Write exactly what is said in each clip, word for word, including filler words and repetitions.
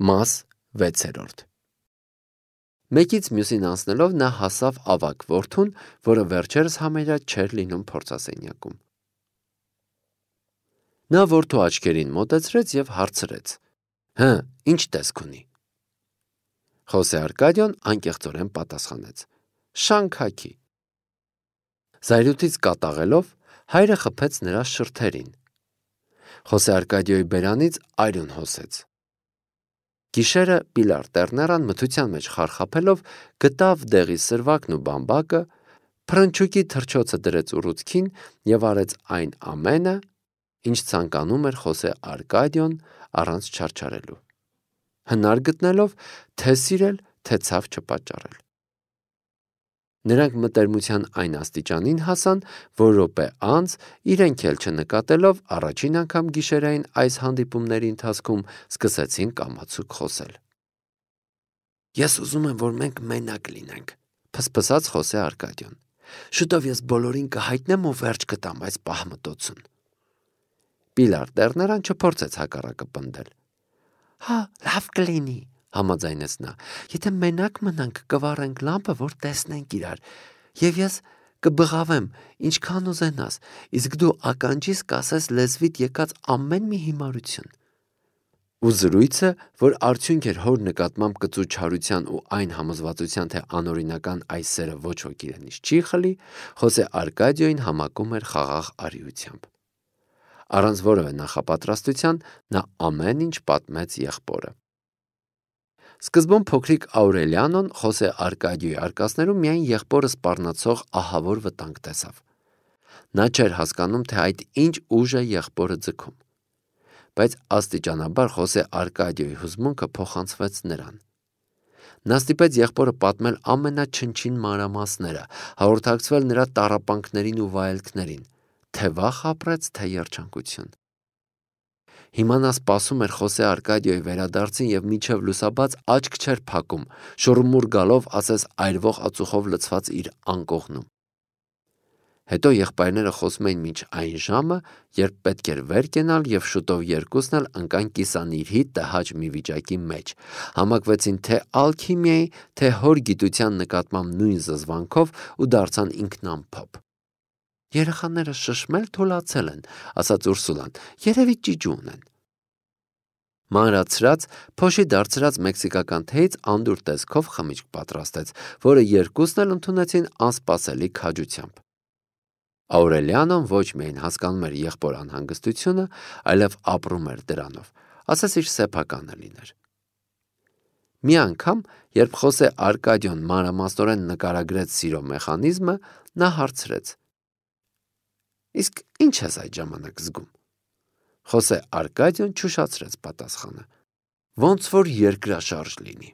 Մաս վեցերորդ Մեկից մյուսին անցնելով նա հասավ ավագ որդուն, որը վերջերս համարյա չէր լինում փորձասենյակում։ Նա որդու աչքերին մոտեցրեց և հարցրեց. «Հը, ինչ տեսք ունի»։ Խոսե Արկադիոն անկեղծորեն պատասխանեց. «Շանքաքի»։ Զայրույթից կատաղելով հայրը խփեց նրա շրթերին։ Խոսե Արկադիոյի բերանից արյուն հոսեց։ Գիշերը Պիլար Տերներան մթության մեջ խարխափելով գտավ դեղի սրվակն ու բամբակը, փռնչուկի թռչոցը դրեց ուռուցքին և արեց այն ամենը, ինչ ցանկանում էր Խոսե Արկադիոն առանց չարչարելու, հնար գտնելով թե սիրել, թե ցավ չպատճառել։ Նրանք մտերմության այն աստիճանին հասան, որ րոպե անց, իրենք էլ չնկատելով, առաջին անգամ գիշերային այս հանդիպումների ընթացքում սկսեցին կամացուկ խոսել։ «Ես ուզում եմ, որ մենք մենակ լինենք», փսփսաց Խոսե Արկադիոն։ «Շուտով ես բոլորին կհայտնեմ ու վերջ կտամ այս պահմտոցուն»։ Պիլար Տերներան չփորձեց հակառակը պնդել։ «Հա, լավ կլինի», համաձայնեց նա, «եթե մենակ մնանք, կվառենք լամպը, որ տեսնենք իրար, և ես կբղավեմ, ինչքան ուզենաս, իսկ դու ականջիս կասես լեզվիդ եկած ամեն մի հիմարություն»։ Ու զրույցը, որ արդյունք էր հոր նկատմամբ կծու չարության ու այն համոզվածության, թե անօրինական այս սերը ոչ ոք իրենից չի խլի, Խոսե Արկադիոյին համակում էր խաղաղ արիությամբ։ Առանց որևէ նախապատրաստության նա ամեն ինչ պատմեց եղբորը։ Սկզբում փոքրիկ Աուրելիանոն Խոսե Արկադիոյի արկածներում միայն եղբորը սպառնացող ահավոր վտանգ տեսավ։ Նա չէր հասկանում, թե այդ ինչ ուժ է եղբորը ձգում։ Բայց աստիճանաբար Խոսե Արկադիոյի հուզմունքը փոխանցվեց նրան։ Նա ստիպեց եղբորը պատմել ամենաչնչին մանրամասները, հաղորդակցվել նրա տառապանքներին ու վայելքներին, թե վախ ապրեց, թե երջանկություն։ Հիմա նա սպասում էր Խոսե Արկադիոյի վերադարձին և մինչև լուսաբաց աչք չէր փակում, շուռմուռ գալով ասես այրվող ածուխով լցված իր անկողնում։ Հետո եղբայրները խոսում էին մինչ այն ժամը, երբ պետք էր վեր կենալ, և շուտով երկուսն էլ ընկան կիսանիրհի տհաճ մի վիճակի մեջ, համակվեցին թե ալքիմիայի, թե հոր գիտության նկատմամբ նույն զզվանքով ու դարձան ինքնամփոփ։ «Երեխաները շշմել թուլացել են», ասաց Ուրսուլան, «երևի ճիճու ունեն»։ Մանրացրած, փոշի դարձրած մեքսիկական թեյից անդուր տեսքով խմիչք պատրաստեց, որը երկուսն էլ ընդունեցին անսպասելի քաջությամբ։ Աուրելիանոն ոչ միայն հասկանում էր եղբոր անհանգստությունը, այլև ապրում էր դրանով, ասես իր սեփականը լիներ։ Մի անգամ, երբ Խոսե Արկադիոն մանրամասնորեն նկարագրեց սիրո մեխանիզմը, նա հարցրեց. «Իսկ ի՞նչ ես այդ ժամանակ զգում»։ Խոսե Արկադիոն չուշացրեց պատասխանը. «Ոնց որ երկրաշարժ լինի»։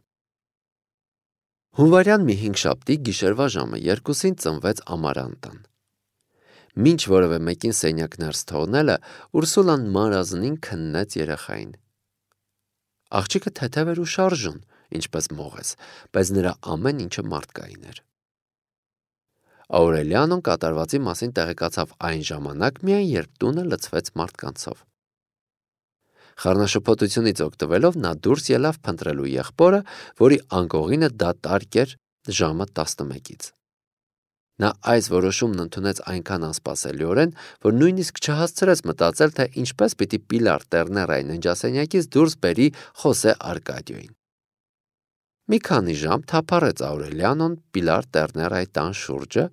Հունվարյան մի հինգշաբթի գիշերվա ժամը երկուսին ծնվեց Ամարանտան։ Մինչ որևէ մեկին սենյակ ներս թողնելը, Ուրսուլան մանրազնին քննեց երեխային։ Աղջիկը թեթև էր ու շարժուն, ինչպես մողես, բայց նրա ամեն ինչը մարդկային էր։ Աուրելիանոն կատարվածի մասին տեղեկացավ այն ժամանակ միայն, երբ տունը լցվեց մարդկանցով։ Խառնաշփոթությունից օգտվելով նա դուրս ելավ փնտրելու եղբորը, որի անկողինը դատարկ էր ժամը տասնմեկից։ Նա այս որոշումն ընդունեց այնքան անսպասելիորեն, որ նույնիսկ չհասցրեց մտածել, թե ինչպես պիտի Պիլար Տերներայի ննջասենյակից դուրս բերի Խոսե Արկադիոյին։ Մի քանի ժամ թափառեց Աուրելիանոն Պիլար Տերներայի տան շուրջը,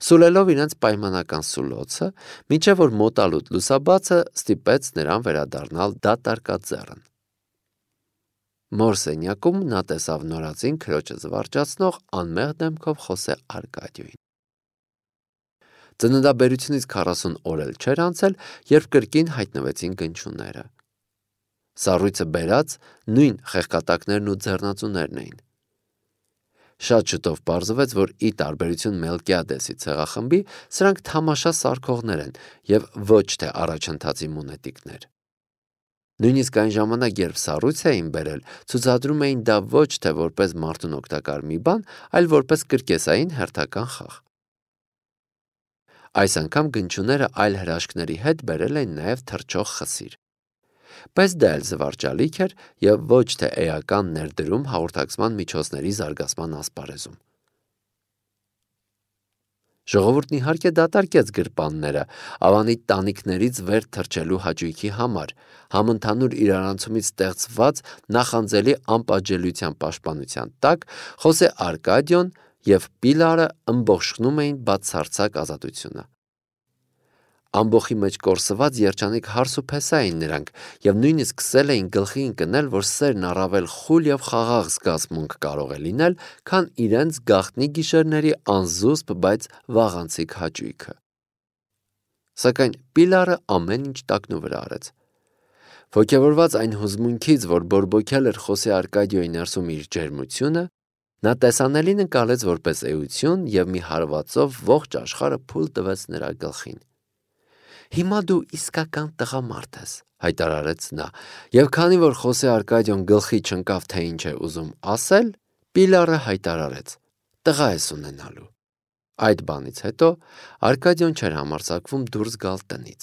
սուլելով իրենց պայմանական սուլոցը, մինչև որ մոտալուտ լուսաբացը ստիպեց նրան վերադառնալ դատարկած ձեռն։ Մոր սենյակում նա տեսավ նորածին քրոջը զվարճացնող անմեղ դեմքով Խոսե Արկադիոյին։ Ծննդաբերությունից քառասուն օր էլ չէր անցել, երբ կրկին հայտնվեցին գնչուները։ Սառույցը բերած նույն խեղկատակներն ու ձեռնածուներն էին։ Շատ շուտով պարզվեց, որ ի տարբերություն Մելկիադեսի ցեղախմբի, սրանք թամաշա սարքողներ են և ոչ թե առաջընթացի մունետիկներ։ Նույնիսկ այն ժամանակ, երբ սառույց էին բերել, ցուցադրում էին դա ոչ թե որպես մարդուն օգտակար մի բան, այլ որպես կրկեսային հերթական խաղ։ Այս անգամ գնչուները այլ հրաշքների հետ բերել էին նաև թռչող խսիր։ բայց դա էլ զվարճալիք էր եւ ոչ թե էական ներդրում հաղորդակցման միջոցների զարգացման ասպարեզում։ Ժողովուրդն իհարկե դատարկեց գրպանները ավանի տանիքներից վեր թռչելու հաճույքի համար, համընդհանուր իրարանցումից ստեղծված նախանձելի անպատժելիության պաշտպանության տակ Խոսե Արկադիոն եւ Պիլարը ըմբողջնում էին բացարձակ ազատությունը։ Ամբոխի մեջ կորսված երջանիկ հարս ու փեսա էին նրանք եւ նույնիսկ սկսել էին գլխի ընկնել, որ սերն առավել խուլ եւ խաղաղ զգացմունք կարող է լինել, քան իրենց գաղտնի գիշերների անզուսպ, բայց վաղանցիկ հաճույքը։ Սակայն Պիլարը ամեն ինչ տակնու վրա արեց։ Ոգևորված այն հուզմունքից, որ բորբոքել էր Խոսե Արկադիոյի ներսում իր ջերմությունը, նա տեսանելին ընկալեց որպես էություն եւ մի հարվածով ողջ աշխարհը փուլ տվեց նրա գլխին։ Հիմա դու իսկական տղամարդ ես, հայտարարեց նա, եւ քանի որ Խոսե Արկադիոն գլխի չընկավ, թե ինչ է ուզում ասել, Պիլարը հայտարարեց. տղա ես ունենալու։ Այդ բանից հետո Արկադիոն չէր համարձակվում դուրս գալ տնից։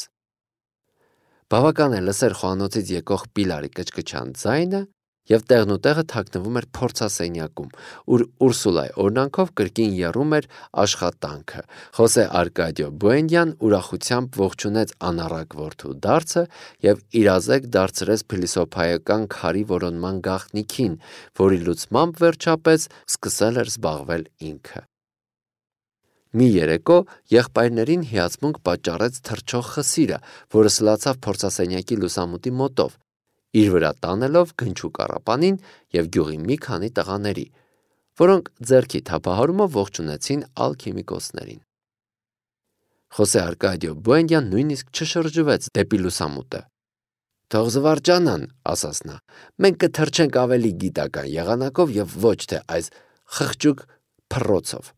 Բավական է լսեր խոհանոցից եկող Պիլարի կչկչան ձայնը եւ տեղնուտեղը թաքնվում էր փորձասենյակում, ուր Ուրսուլայի օրնանքով կրկին եռում էր աշխատանքը։ Խոսե Արկադիո Բուենդյան ուրախությամբ ողջունեց անառակ որդու դարձը եւ իրազեկ դարձրեց փիլիսոփայական քարի որոնման գաղտնիքին, որի լուծմամբ վերջապես սկսել էր զբաղվել ինքը։ Մի երեկո եղբայրներին հիացմունք պատճառեց թռչող խսիրը, որը սլացավ փորձասենյակի լուսամուտի մոտով, իր վրա տանելով գնչու կառապանին եւ գյուղի մի քանի տղաների, որոնք ձեռքի թափահարումով ողջունեցին ալքիմիկոսներին։ Խոսե Արկադիո Բուենդյան նույնիսկ չշրջվեց դեպի լուսամուտը։ Թող զվարճանան, ասաց նա, մենք կթռչենք ավելի գիտական եղանակով եւ ոչ թե այս խղճուկ փռոցով։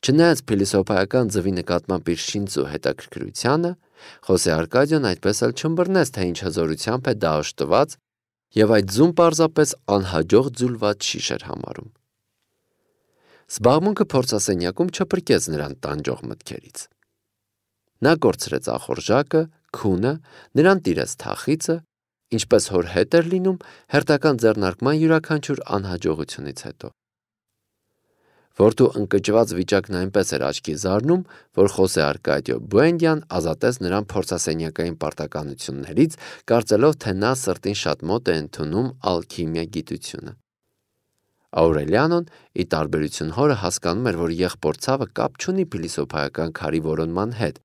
Չնայած փիլիսոփայական ձվի նկատմամբ իր շինծու հետաքրքրությանը, Խոսե Արկադիոն այդպես էլ չըմբռնեց, թե ինչ հզորությամբ է դա աշտված, եւ այդ ձուն պարզապես անհաջող ձուլված շիշ էր համարում։ Զբաղմունքը փորձասենյակում չփրկեց նրան տանջող մտքերից։ Նա կորցրեց ախորժակը, քունը, նրան տիրեց թախիծը, ինչպես հոր հետ էր լինում հերթական ձեռնարկման յուրաքանչյուր անհաջողությունից հետո։ Որդու ընկճված վիճակն այնպես էր աչքի զարնում, որ Խոսե Արկադիո Բուենդյան ազատեց նրան փորձասենյակային պարտականություններից, կարծելով, թե նա սրտին շատ մոտ է ընդունում ալքիմիա գիտությունը։ Աուրելիանոն, ի տարբերություն հորը, հասկանում էր, որ եղբոր ցավը կապ չունի փիլիսոփայական քարի որոնման հետ,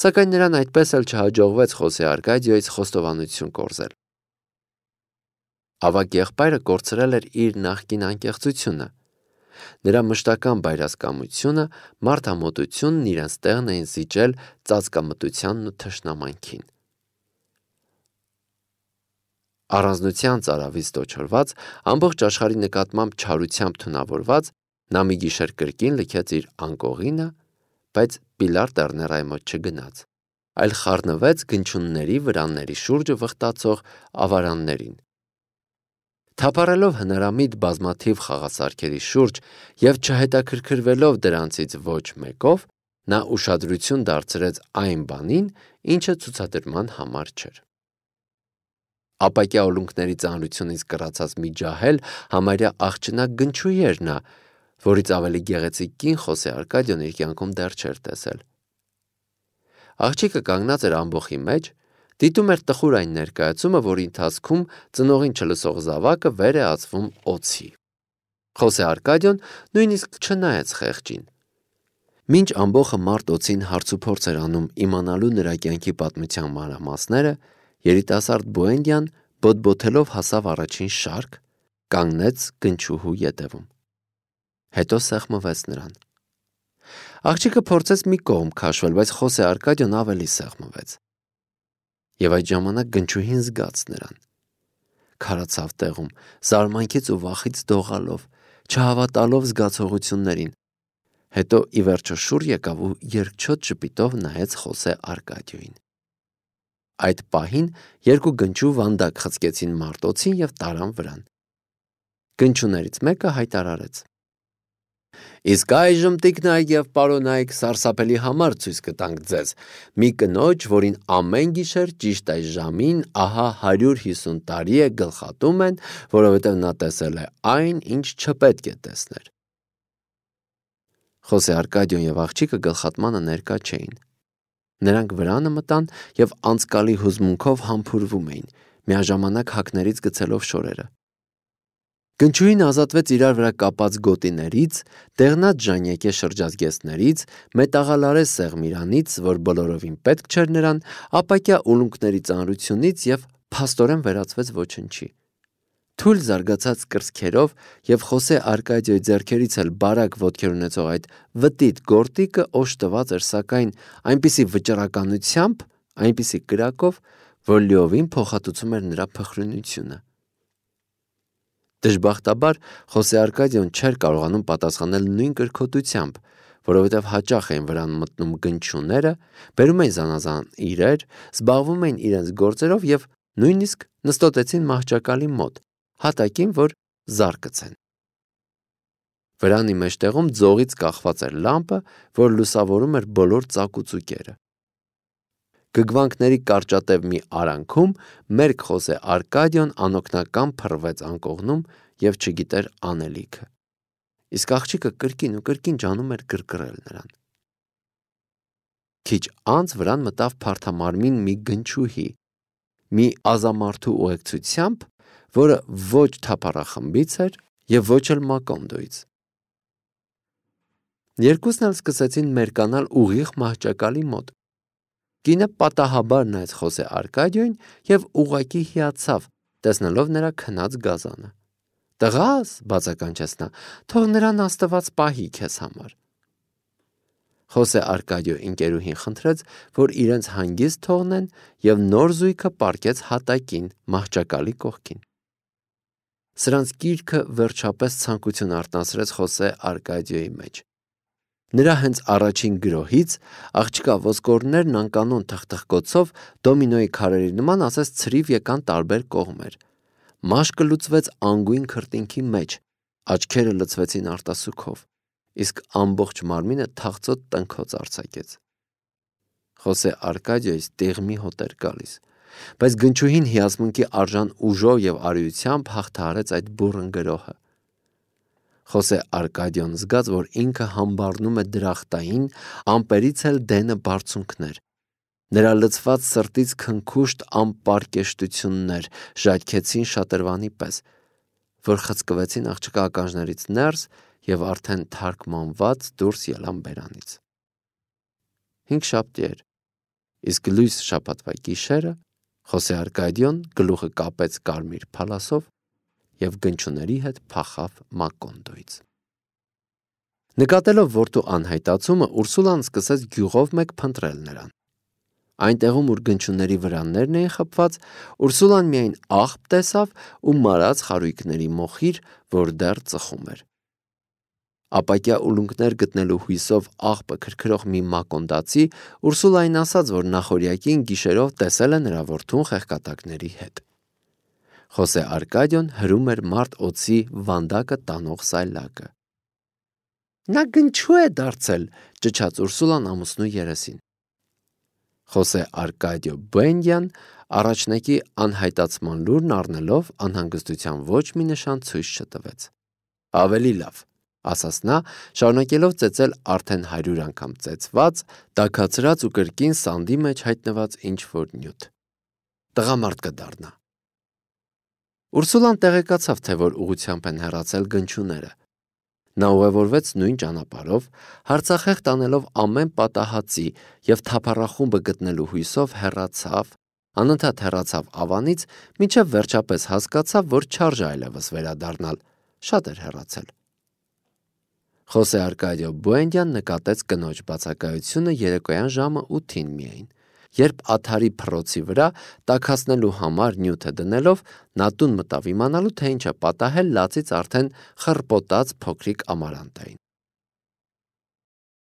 սակայն նրան այդպես էլ չհաջողվեց Խոսե Արկադիոյից խոստովանություն կորզել։ Ավագ եղբայրը կորցրել էր իր նախկին անկեղծությունը։ Նրա մշտական բայրասկամությունը, մարդամոտությունն իրենց տեղն էին զիջել ծածկամտությանն ու թշնամանքին։ Առանձնության ծարավից տոչորված, ամբողջ աշխարհի նկատմամբ չարությամբ թունավորված, նա մի գիշեր կրկին լքեց իր անկողինը, բայց Պիլար Տերներայի մոտ չգնաց, այլ խառնվեց գնչունների վրանների շուրջը վխտացող ավարաններին։ Թափառելով հնարամիտ բազմաթիվ խաղասարքերի շուրջ եւ չհետաքրքրվելով դրանցից ոչ մեկով, նա ուշադրություն դարձրեց այն բանին, ինչը ցուցադրման համար չէր։ Ապակյա օլունքների ծանրությունից կռացած մի ջահել համարյա աղջնակ գնչուի էր նա, որից ավելի գեղեցիկ կին Խոսե Արկադիոն իր կյանքում դեռ չէր տեսել։ Աղջիկը կանգնած էր ամբոխի մեջ, դիտում էր տխուր այն ներկայացումը, որի ընթացքում ծնողին չլսող զավակը վեր է ածվում օձի։ Խոսե Արկադիոն նույնիսկ չնայեց խեղճին։ Մինչ ամբոխը մարդ օձին հարցուփորձ էր անում իմանալու նրա կյանքի պատմության մանրամասները, երիտասարդ Բուենդյան բոթբոթելով հասավ առաջին շարք, կանգնեց գնչուհու ետևում։ Հետո սեղմվեց նրան։ Աղջիկը փորձեց մի կողմ քաշվել, բայց Խոսե Արկադիոն ավելի սեղմվեց։ Եվ այդ ժամանակ գնչուհին զգաց նրան։ Քարացավ տեղում, զարմանքից ու վախից դողալով, չհավատալով զգացողություններին։ Հետո ի վերջո շուռ եկավ ու երկչոտ ժպիտով նայեց Խոսե Արկադիոյին։ Այդ պահին երկու գնչու վանդակ խցկեցին մարտոցին եւ տարան վրան։ Գնչուներից մեկը հայտարարեց. Իսկ այժմ տիկնայք եւ պարոնայք սարսափելի համար ցույց կտանք ձեզ մի կնոջ, որին ամեն գիշեր ճիշտ այս ժամին ահա հարյուր հիսուն տարի է գլխատում են, որովհետեւ նա տեսել է այն, ինչ չպետք է տեսներ։ Խոսե Արկադիոն եւ աղջիկը գլխատմանը ներկա չէին։ Նրանք վրանը մտան եւ անցկալի հուզմունքով համբուրվում էին, միաժամանակ հակներից գցելով շորերը։ Գնչուհին ազատվեց իրար վրա կապած գոտիներից, դեղնած ժանյակե շրջազգեստներից, մետաղալարե սեղմիրանից, որ բոլորովին պետք չէր նրան, ապակյա ուլունքների ծանրությունից եւ փաստորեն վերածվեց ոչնչի։ Թույլ զարգացած կրծքերով եւ Խոսե Արկադիոյի ձեռքերից էլ բարակ ոտքեր ունեցող այդ վտիտ գորտիկը օժտված էր, սակայն այնպիսի վճռականությամբ, այնպիսի կրակով, որ լիովին փոխհատուցում էր նրա փխրունությունը։ Դժբախտաբար Խոսե Արկադիոն չէր կարողանում պատասխանել նույն կրքոտությամբ, որովհետև հաճախ էին վրան մտնում գնչուները, բերում էին զանազան իրեր, զբաղվում էին իրենց գործերով եւ նույնիսկ նստոտեցին մահճակալի մոտ, հատակին, որ զար գցեն։ Վրանի մեջտեղում ձողից կախված էր լամպը, որ լուսավորում էր բոլոր ծակուցուկերը։ Գգվանքների կարճատև մի արանքում մերկ Խոսե Արկադիոն անօգնական փռվեց անկողնում եւ չգիտեր անելիքը։ Իսկ աղջիկը կրկին ու կրկին ջանում էր գրգռել նրան։ Քիչ անց վրան մտավ փարթամարմին մի գնչուհի, մի ազամարդու ուղեկցությամբ, որը ոչ թափառախմբից էր եւ ոչ էլ Մակոնդոյից։ Երկուսն էլ սկսեցին մերկանալ ուղիղ մահճակալի մոտ։ Կինը պատահաբար նայեց Խոսե Արկադիոյին եւ ուղղակի հիացավ, տեսնելով նրա քնած գազանը։ «Տղա՛ս», բացականչեց նա, «թող նրան Աստված պահի քեզ համար»։ Խոսե Արկադիոյի ընկերուհին խնդրեց, որ իրենց հանգիստ թողնեն եւ նոր զույգը պառկեց հատակին մահճակալի կողքին։ Սրանց կիրքը վերջապես ցանկություն արթնացրեց Խոսե Արկադիոյի մեջ։ Նրա հենց առաջին գրոհից աղջկա ոսկորներն անկանոն թխթխկոցով դոմինոյի քարերի նման ասես ցրիվ եկան տարբեր կողմեր։ Մաշկը լուծվեց անգույն քրտինքի մեջ, աչքերը լցվեցին արտասուքով, իսկ ամբողջ մարմինը թախծոտ տնքոց արձակեց։ Խոսե Արկադիոյից տեղմի հոտ էր գալիս, բայց գնչուհին հիացմունքի արժան ուժով եւ արիությամբ հաղթահարեց այդ բուռն գրոհը։ Խոսե Արկադիոն զգաց, որ ինքը համբառնում է դրախտային, ամպերից էլ դենը բարձունքներ։ Նրա լցված սրտից քնքուշտ ամպարկեշտություններ ժայթքեցին շատրվանի պես, որ խցկվեցին աղջկա ականջներից ներս եւ արդեն թարգմանված դուրս ելան բերանից։ Հինգշաբթի էր, իսկ լույս շաբաթվա գիշերը Խոսե Արկադիոն գլուխը կապեց կարմիր փալասով եւ գնչուների հետ փախավ Մակոնդոյից։ Նկատելով որդու անհայտացումը, Ուրսուլան սկսեց գյուղով մեկ փնտրել նրան։ Այնտեղում, ուր գնչուների վրաններն էին խփված, Ուրսուլան միայն աղբ տեսավ ու մարած խարույկների մոխիր, որ դեռ ծխում էր։ Ապակյա ուլունքներ գտնելու հույսով աղբը քրքրող մի մակոնդացի Ուրսուլային ասաց, որ նախօրյակին գիշերով տեսել է նրա որդուն խեղկատակների հետ։ Խոսե Արկադիոն հրում էր մարտ օձի վանդակը տանող սայլակը։ Նա գնչու է դարձել, ճչաց Ուրսուլան ամուսնու երեսին։ Խոսե Արկադիո Բուենդյան առաջնակի անհայտացման լուրն առնելով անհանգստության ոչ մի նշան ցույց չտվեց։ Ավելի լավ, ասաց նա, շարունակելով ծեծել արդեն հարյուր անգամ ծեծված, տաքացրած ու կրկին սանդի մեջ հայտնված ինչ-որ նյութ։ Տղամարդ կդառնա։ Ուրսուլան տեղեկացավ, թե որ ուղղությամբ են հեռացել գնչուները։ Նա ուղևորվեց նույն ճանապարհով, հարցախեղտ անելով ամեն պատահածի եւ թափառախումբը գտնելու հույսով հեռացավ, անընդհատ հեռացավ ավանից, մինչև վերջապես հասկացավ, որ չարժե այլևս վերադառնալ, շատ էր հեռացել։ Խոսե Արկադիո Բուենդյան նկատեց կնոջ բացակայությունը երեկոյան ժամը ութին միայն, երբ աթարի փռոցի վրա տաքացնելու համար նյութը դնելով նա տուն մտավ իմանալու, թե ինչ է պատահել լացից արդեն խռպոտած փոքրիկ ամարանտային։